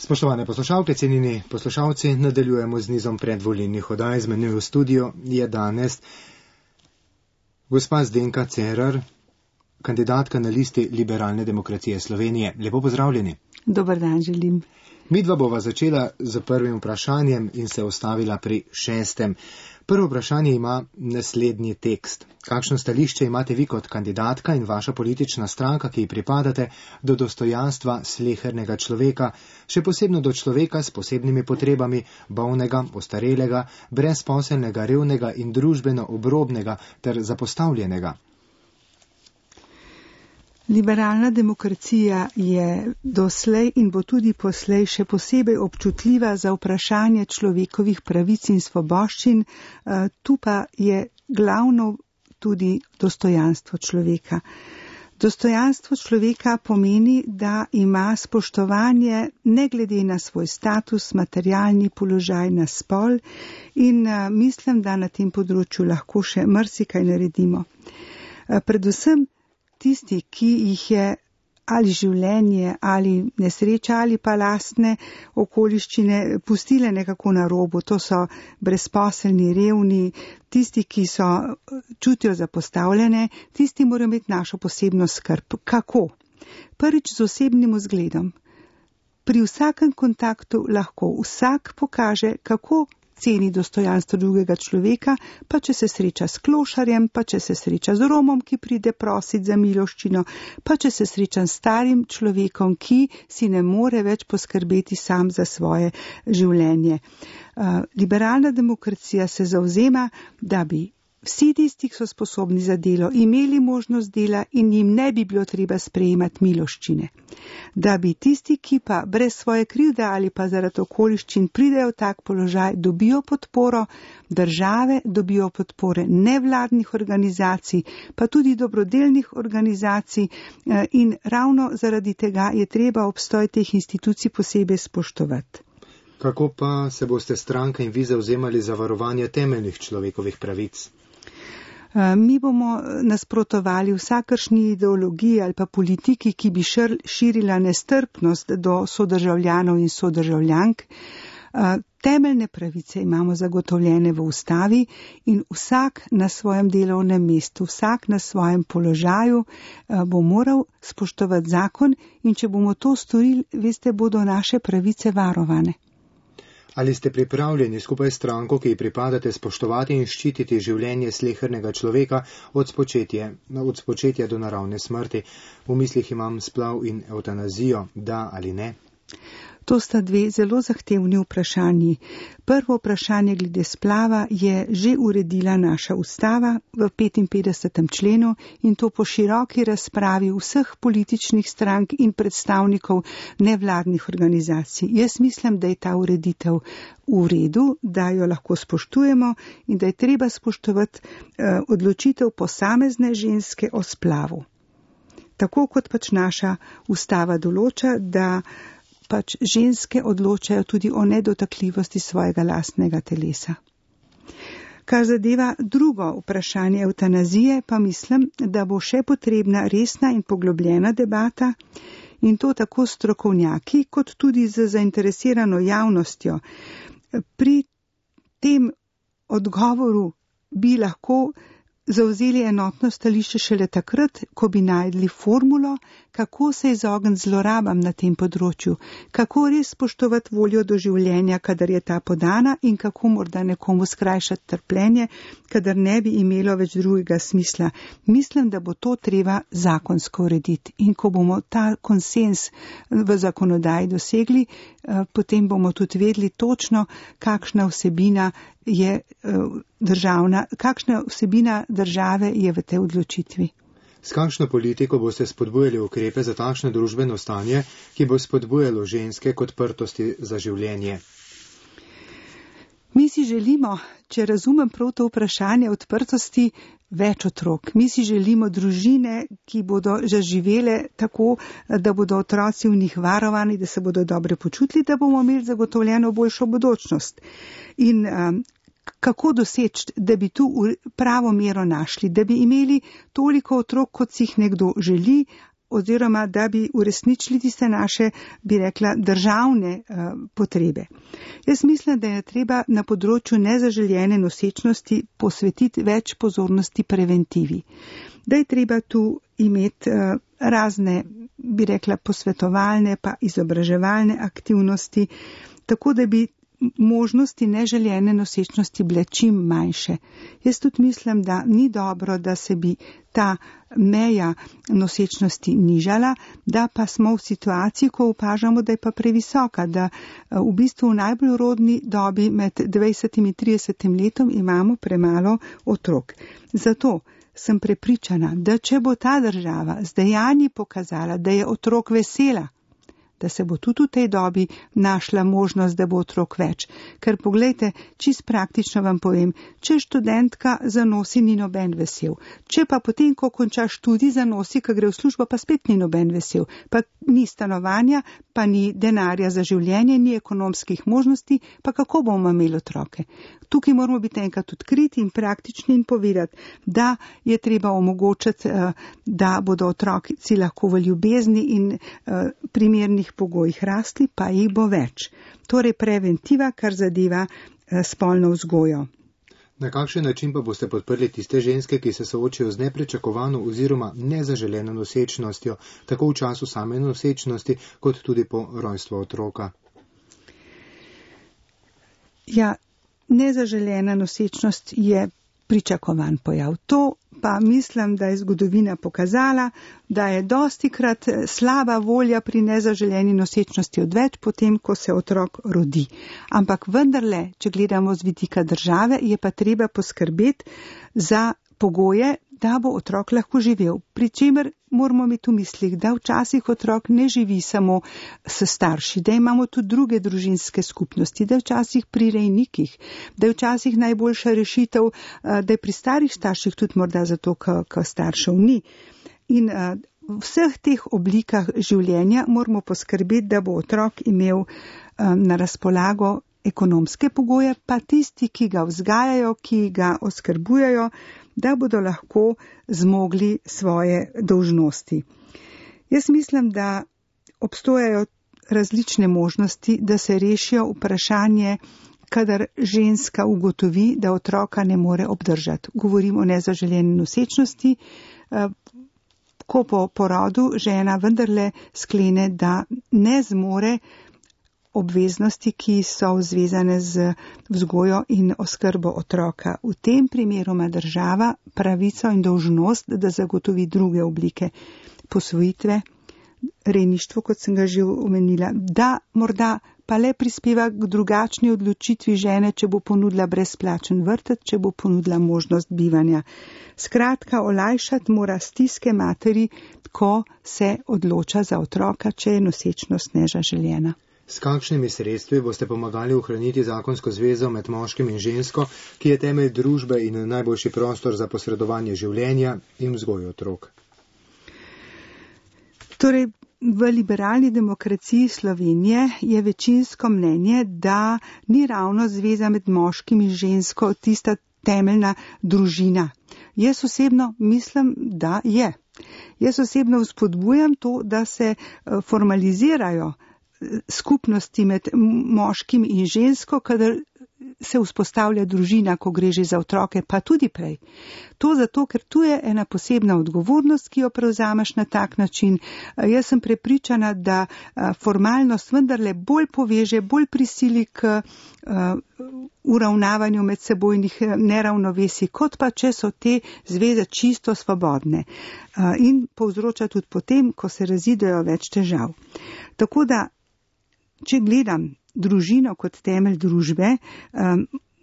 Spoštovane poslušalke, cenjeni poslušalci, nadaljujemo z nizom predvolilnih oddaj. Z menoj v studiu je danes gospa Zdenka Cerar, kandidatka na listi Liberalne demokracije Slovenije. Lepo pozdravljeni. Dober dan želim. Midva bova začela z prvim vprašanjem in se ustavila pri 6. Prvo vprašanje ima naslednji tekst. Kakšno stališče imate vi kot kandidatka in vaša politična stranka, ki ji pripadate, do dostojanstva slehernega človeka, še posebno do človeka s posebnimi potrebami, bolnega, ostarelega, brezposelnega, revnega in družbeno obrobnega ter zapostavljenega? Liberalna demokracija je doslej in bo tudi poslej še posebej občutljiva za vprašanje človekovih pravic in svoboščin, tu pa je glavno tudi dostojanstvo človeka. Dostojanstvo človeka pomeni, da ima spoštovanje ne glede na svoj status, materialni položaj, na spol in mislim, da na tem področju lahko še marsikaj naredimo. Predvsem tisti, ki jih je ali življenje, ali nesreča, ali pa lastne okoliščine pustile nekako na robu, to so brezposelni, revni, tisti, ki čutijo zapostavljene, tisti morajo imeti našo posebno skrb. Kako? Prvič z osebnim vzgledom. Pri vsakem kontaktu lahko vsak pokaže, kako ceni dostojanstvo drugega človeka, pa če se sreča s klošarjem, pa če se sreča z Romom, ki pride prosit za miloščino, pa če se sreča s starim človekom, ki si ne more več poskrbeti sam za svoje življenje. Liberalna demokracija se zavzema, da bi vsi tisti, ki so sposobni za delo, imeli možnost dela in jim ne bi bilo treba sprejemati miloščine. Da bi tisti, ki pa brez svoje krivde ali pa zaradi okoliščin pridejo v tak položaj, dobijo podporo države, dobijo podpore nevladnih organizacij, pa tudi dobrodelnih organizacij in ravno zaradi tega je treba obstoj teh institucij posebej spoštovati. Kako pa se boste stranka in vi zavzemali za varovanje temeljnih človekovih pravic? Mi bomo nasprotovali vsakršni ideologiji ali pa politiki, ki bi širila nestrpnost do sodržavljanov in sodržavljank. Temeljne pravice imamo zagotovljene v ustavi in vsak na svojem delovnem mestu, vsak na svojem položaju bo moral spoštovati zakon in če bomo to storili, veste, bodo naše pravice varovane. Ali ste pripravljeni skupaj s stranko, ki ji pripadate, spoštovati in ščititi življenje slehernega človeka od spočetja do naravne smrti? V mislih imam splav in evtanazijo, da ali ne? To sta dve zelo zahtevni vprašanji. Prvo vprašanje glede splava je že uredila naša ustava v 55. členu in to po široki razpravi vseh političnih strank in predstavnikov nevladnih organizacij. Jaz mislim, da je ta ureditev v redu, da jo lahko spoštujemo in da je treba spoštovati odločitev posamezne ženske o splavu. Tako kot pač naša ustava določa, da pač ženske odločajo tudi o nedotakljivosti svojega lastnega telesa. Kar zadeva drugo vprašanje evtanazije, pa mislim, da bo še potrebna resna in poglobljena debata in to tako strokovnjaki, kot tudi z zainteresirano javnostjo. Pri tem odgovoru bi lahko zavzeli enotno stališče šele takrat, ko bi najdli formulo, kako se izogniti zlorabam na tem področju, kako res spoštovati voljo do življenja, kadar je ta podana in kako morda nekomu skrajšati trpljenje, kadar ne bi imelo več drugega smisla. Mislim, da bo to treba zakonsko urediti in ko bomo ta konsens v zakonodaji dosegli, potem bomo tudi vedeli točno, kakšna vsebina države je v tej odločitvi. S kakšno politiko boste spodbujali ukrepe za takšno družbeno stanje, ki bo spodbujalo ženske k odprtosti za življenje? Mi si želimo, če razumem prav to vprašanje odprtosti, več otrok. Mi si želimo družine, ki bodo zaživele tako, da bodo otroci v njih varovani, da se bodo dobro počutili, da bomo imeli zagotovljeno boljšo bodočnost. In kako doseči, da bi tu pravo mero našli, da bi imeli toliko otrok, kot si jih nekdo želi, oziroma da bi uresničili tiste naše, bi rekla, državne potrebe. Jaz mislim, da je treba na področju nezaželjene nosečnosti posvetiti več pozornosti preventivi. Da je treba tu imeti razne, bi rekla, posvetovalne pa izobraževalne aktivnosti, tako da bi možnosti neželjene nosečnosti bile čim manjše. Jaz tudi mislim, da ni dobro, da se bi ta meja nosečnosti nižala, da pa smo v situaciji, ko opažamo, da je pa previsoka, da v bistvu v najbolj rodni dobi med 20 in 30 letom imamo premalo otrok. Zato sem prepričana, da če bo ta država z dejanji pokazala, da je otrok vesela, da se bo tudi v tej dobi našla možnost, da bo otrok več. Ker poglejte, čist praktično vam povem, če študentka zanosi, ni noben vesel. Če pa potem, ko konča študij, zanosi, ko gre v službo, pa spet ni noben vesel. Pa ni stanovanja, pa ni denarja za življenje, ni ekonomskih možnosti, pa kako bomo imeli otroke. Tukaj moramo biti enkrat odkriti in praktični in povedati, da je treba omogočiti, da bodo otroci lahko v ljubezni in primernih pogojih rasli, pa jih bo več. Torej preventiva, kar zadeva spolno vzgojo. Na kakšen način pa boste podprli tiste ženske, ki se soočajo z nepričakovano oziroma nezaželeno nosečnostjo, tako v času same nosečnosti, kot tudi po rojstvu otroka? Ja, nezaželena nosečnost je pričakovan pojav. To pa mislim, da je zgodovina pokazala, da je dostikrat slaba volja pri nezaželjeni nosečnosti odveč potem, ko se otrok rodi. Ampak vendarle, če gledamo z vidika države, je pa treba poskrbeti za pogoje, da bo otrok lahko živel. Pri čemer moramo imeti v mislih, da včasih otrok ne živi samo s starši, da imamo tudi druge družinske skupnosti, da včasih pri rejnikih, da je včasih najboljša rešitev, da je pri starih starših tudi morda zato, ker staršev ni. In v vseh teh oblikah življenja moramo poskrbeti, da bo otrok imel na razpolago ekonomske pogoje, pa tisti, ki ga vzgajajo, ki ga oskrbujejo, da bodo lahko zmogli svoje dolžnosti. Jaz mislim, da obstojajo različne možnosti, da se rešijo vprašanje, kadar ženska ugotovi, da otroka ne more obdržati. Govorim o nezaželjeni nosečnosti, ko po porodu žena vendarle sklene, da ne zmore obveznosti, ki so zvezane z vzgojo in oskrbo otroka. V tem primeru ima država pravico in dolžnost, da zagotovi druge oblike posvojitve, rejništvo, kot sem ga že omenila, da morda pa le prispeva k drugačni odločitvi žene, če bo ponudila brezplačen vrtec, če bo ponudila možnost bivanja. Skratka, olajšati mora stiske materi, ko se odloča za otroka, če je nosečnost nezaželjena. S kakšnimi sredstvi boste pomagali ohraniti zakonsko zvezo med moškim in žensko, ki je temelj družbe in najboljši prostor za posredovanje življenja in vzgojo otrok? Torej, v liberalni demokraciji Slovenije je večinsko mnenje, da ni ravno zveza med moškim in žensko tista temeljna družina. Jaz osebno mislim, da je. Jaz osebno vzpodbujam to, da se formalizirajo skupnosti med moškim in žensko, kadar se vzpostavlja družina, ko gre že za otroke, pa tudi prej. To zato, ker tu je ena posebna odgovornost, ki jo prevzameš na tak način. Jaz sem prepričana, da formalnost vendarle bolj poveže, bolj prisili k uravnavanju medsebojnih neravnovesij, kot pa če so te zveze čisto svobodne. In povzroča tudi potem, ko se razidejo, več težav. Tako da, če gledam družino kot temelj družbe,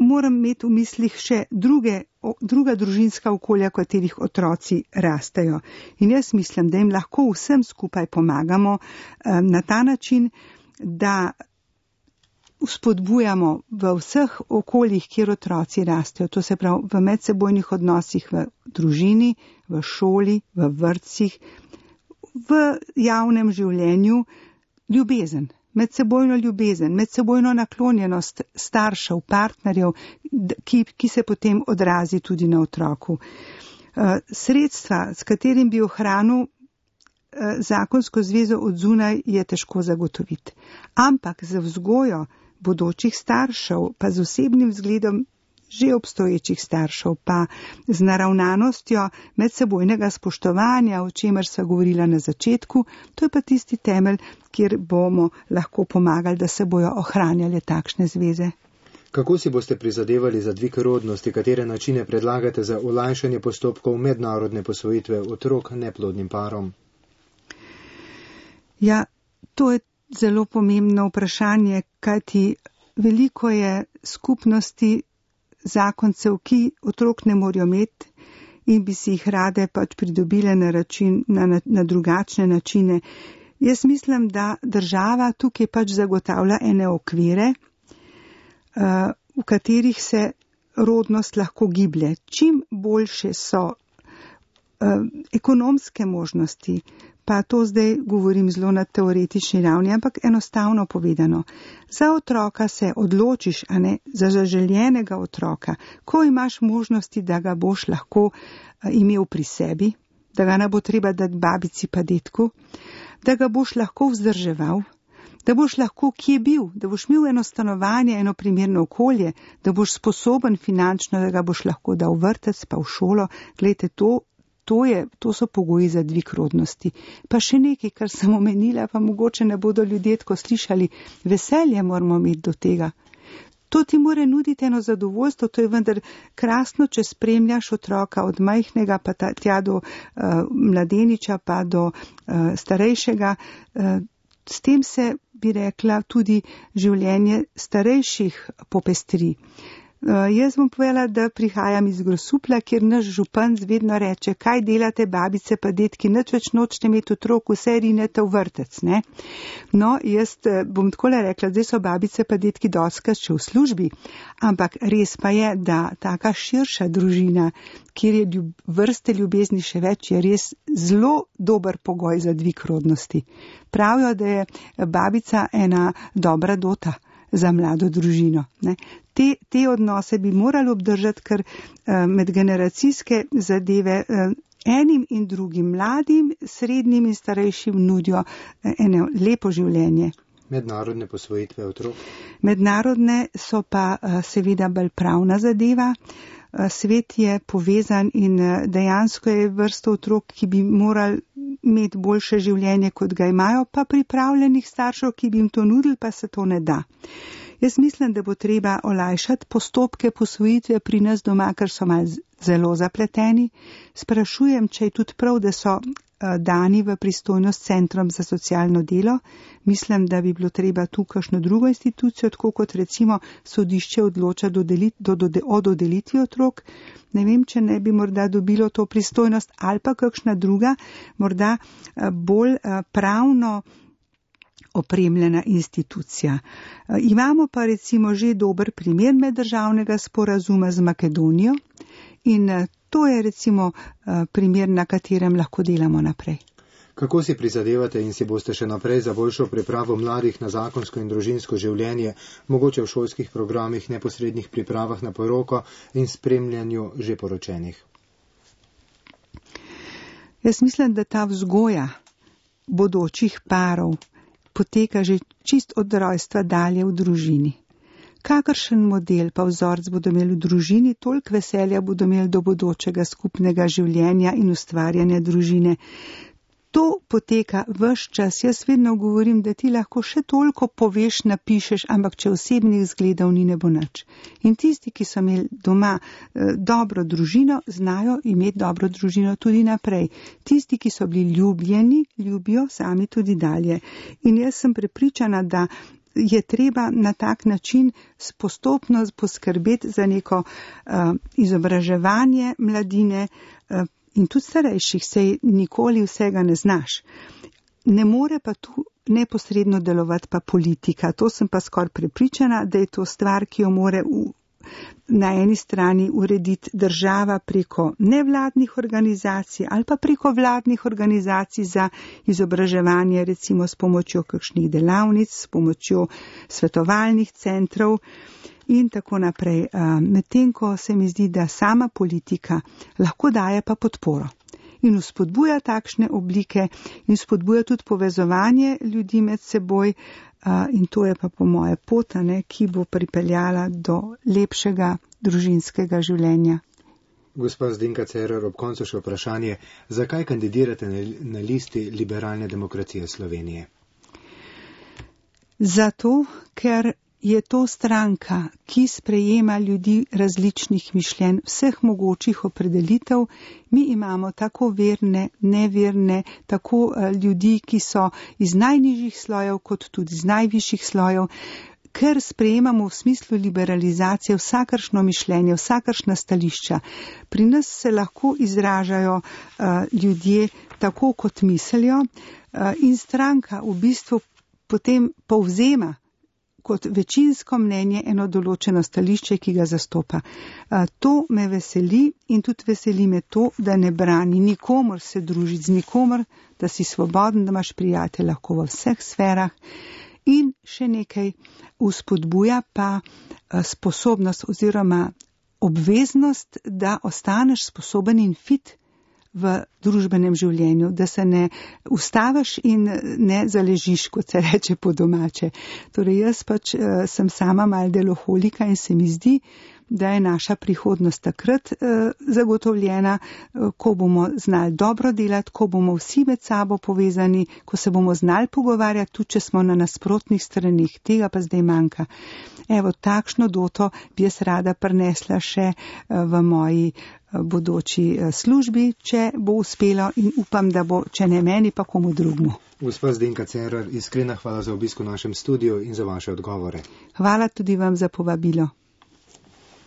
moram imeti v mislih še druga družinska okolja, v katerih otroci rastejo. In jaz mislim, da jim lahko vsem skupaj pomagamo na ta način, da vzpodbujamo v vseh okoljih, kjer otroci rastejo, to se pravi v medsebojnih odnosih v družini, v šoli, v vrtcih, v javnem življenju, ljubezen. Medsebojno ljubezen, medsebojno naklonjenost staršev, partnerjev, ki se potem odrazi tudi na otroku. Sredstva, s katerim bi ohranil zakonsko zvezo od zunaj je težko zagotoviti. Ampak za vzgojo bodočih staršev, pa z osebnim vzgledom že obstoječih staršev, pa z naravnanostjo medsebojnega spoštovanja, o čemer sva govorila na začetku, to je pa tisti temelj, kjer bomo lahko pomagali, da se bojo ohranjale takšne zveze. Kako si boste prizadevali za dvig rodnosti, katere načine predlagate za olajšanje postopkov mednarodne posvojitve otrok neplodnim parom? Ja, to je zelo pomembno vprašanje, kajti veliko je skupnosti zakoncev, ki otrok ne morajo imeti in bi si jih rade pač pridobile na drugačne načine. Jaz mislim, da država tukaj pač zagotavlja ene okvire, v katerih se rodnost lahko giblje. Čim boljše so ekonomske možnosti, pa to zdaj govorim zelo na teoretični ravni, ampak enostavno povedano. Za otroka se odločiš, a ne, za zaželjenega otroka, ko imaš možnosti, da ga boš lahko imel pri sebi, da ga ne bo treba dati babici pa detku, da ga boš lahko vzdrževal, da boš lahko kje bil, da boš imel eno stanovanje, eno primerno okolje, da boš sposoben finančno, da ga boš lahko dal v vrtec pa v šolo. Glejte, to so pogoji za dvig rodnosti. Pa še nekaj, kar sem omenila, pa mogoče ne bodo ljudje tako slišali, veselje moramo imeti do tega. To ti more nuditi eno zadovoljstvo, to je vendar krasno, če spremljaš otroka od majhnega pa tja do mladeniča pa do starejšega. S tem se, bi rekla, tudi življenje starejših popestri. Jaz bom povedala, da prihajam iz Grosupla, kjer naš župan vedno reče, kaj delate babice pa detki, nič več nočete imeti otrok, vse rinete v vrtec, ne? No, jaz bom takole rekla, zdaj so babice pa detki dostikrat še v službi, ampak res pa je, da taka širša družina, kjer je vrste ljubezni še več, je res zelo dober pogoj za dvig rodnosti. Pravijo, da je babica ena dobra dota za mlado družino, ne? Te odnose bi morali obdržati, ker medgeneracijske zadeve enim in drugim, mladim, srednjim in starejšim nudijo eno lepo življenje. Mednarodne posvojitve otrok? Mednarodne so pa seveda bolj pravna zadeva. Svet je povezan in dejansko je vrsto otrok, ki bi morali imeti boljše življenje, kot ga imajo, pa pripravljenih staršev, ki bi jim to nudili, pa se to ne da. Jaz mislim, da bo treba olajšati postopke posvojitve pri nas doma, ker so malo zelo zapleteni. Sprašujem, če je tudi prav, da so dani v pristojnost centrom za socialno delo. Mislim, da bi bilo treba tu kakšno drugo institucijo, tako kot recimo sodišče odloča o dodelitvi otrok. Ne vem, če ne bi morda dobilo to pristojnost ali pa kakšna druga, morda bolj pravno opremljena institucija. Imamo pa recimo že dober primer meddržavnega sporazuma z Makedonijo in to je recimo primer, na katerem lahko delamo naprej. Kako si prizadevate in si boste še naprej za boljšo pripravo mladih na zakonsko in družinsko življenje, mogoče v šolskih programih, neposrednih pripravah na poroko in spremljanju že poročenih? Jaz mislim, da ta vzgoja bodočih parov poteka že čist od rojstva dalje v družini. Kakršen model pa vzorc bodo imeli v družini, toliko veselja bodo imeli do bodočega skupnega življenja in ustvarjanja družine. To poteka ves čas. Jaz vedno govorim, da ti lahko še toliko poveš, napišeš, ampak če osebnih zgledov ni, ne bo nič. In tisti, ki so imeli doma dobro družino, znajo imeti dobro družino tudi naprej. Tisti, ki so bili ljubljeni, ljubijo sami tudi dalje. In jaz sem prepričana, da je treba na tak način postopno poskrbeti za neko izobraževanje mladine, in tudi starejših, sej nikoli vsega ne znaš. Ne more pa tu neposredno delovati pa politika. To sem pa skoraj prepričana, da je to stvar, ki jo more na eni strani urediti država preko nevladnih organizacij ali pa preko vladnih organizacij za izobraževanje, recimo s pomočjo kakšnih delavnic, s pomočjo svetovalnih centrov in tako naprej. Medtem ko se mi zdi, da sama politika lahko daje pa podporo. in vzpodbuja takšne oblike in vzpodbuja tudi povezovanje ljudi med seboj. In to je pa po moje pot, ki bo pripeljala do lepšega družinskega življenja. Gospa Zdenka Cerar, ob koncu še vprašanje, zakaj kandidirate na listi Liberalne demokracije Slovenije? Zato, ker je to stranka, ki sprejema ljudi različnih mišljenj, vseh mogočih opredelitev. Mi imamo tako verne, neverne, tako ljudi, ki so iz najnižjih slojev, kot tudi iz najvišjih slojev, ker sprejemamo v smislu liberalizacije vsakršno mišljenje, vsakršna stališča. Pri nas se lahko izražajo ljudje tako, kot mislijo, in stranka v bistvu potem povzema kot večinsko mnenje eno določeno stališče, ki ga zastopa. To me veseli in tudi veseli me to, da ne brani nikomor se družiti z nikomor, da si svoboden, da imaš prijatelje lahko v vseh sferah. In še nekaj, vzpodbuja pa sposobnost oziroma obveznost, da ostaneš sposoben in fit v družbenem življenju, da se ne ustaviš in ne zaležiš, kot se reče po domače. Torej jaz sem sama mal deloholika in se mi zdi, da je naša prihodnost takrat zagotovljena, ko bomo znali dobro delati, ko bomo vsi med sabo povezani, ko se bomo znali pogovarjati, tudi če smo na nasprotnih stranih. Tega pa zdaj manjka. Evo, takšno doto bi jaz rada prinesla še v moji bodoči službi, če bo uspelo, in upam, da bo, če ne meni, pa komu drugmu. Gospa Zdenka Cerar, iskrena hvala za obisk v našem studiu in za vaše odgovore. Hvala tudi vam za povabilo.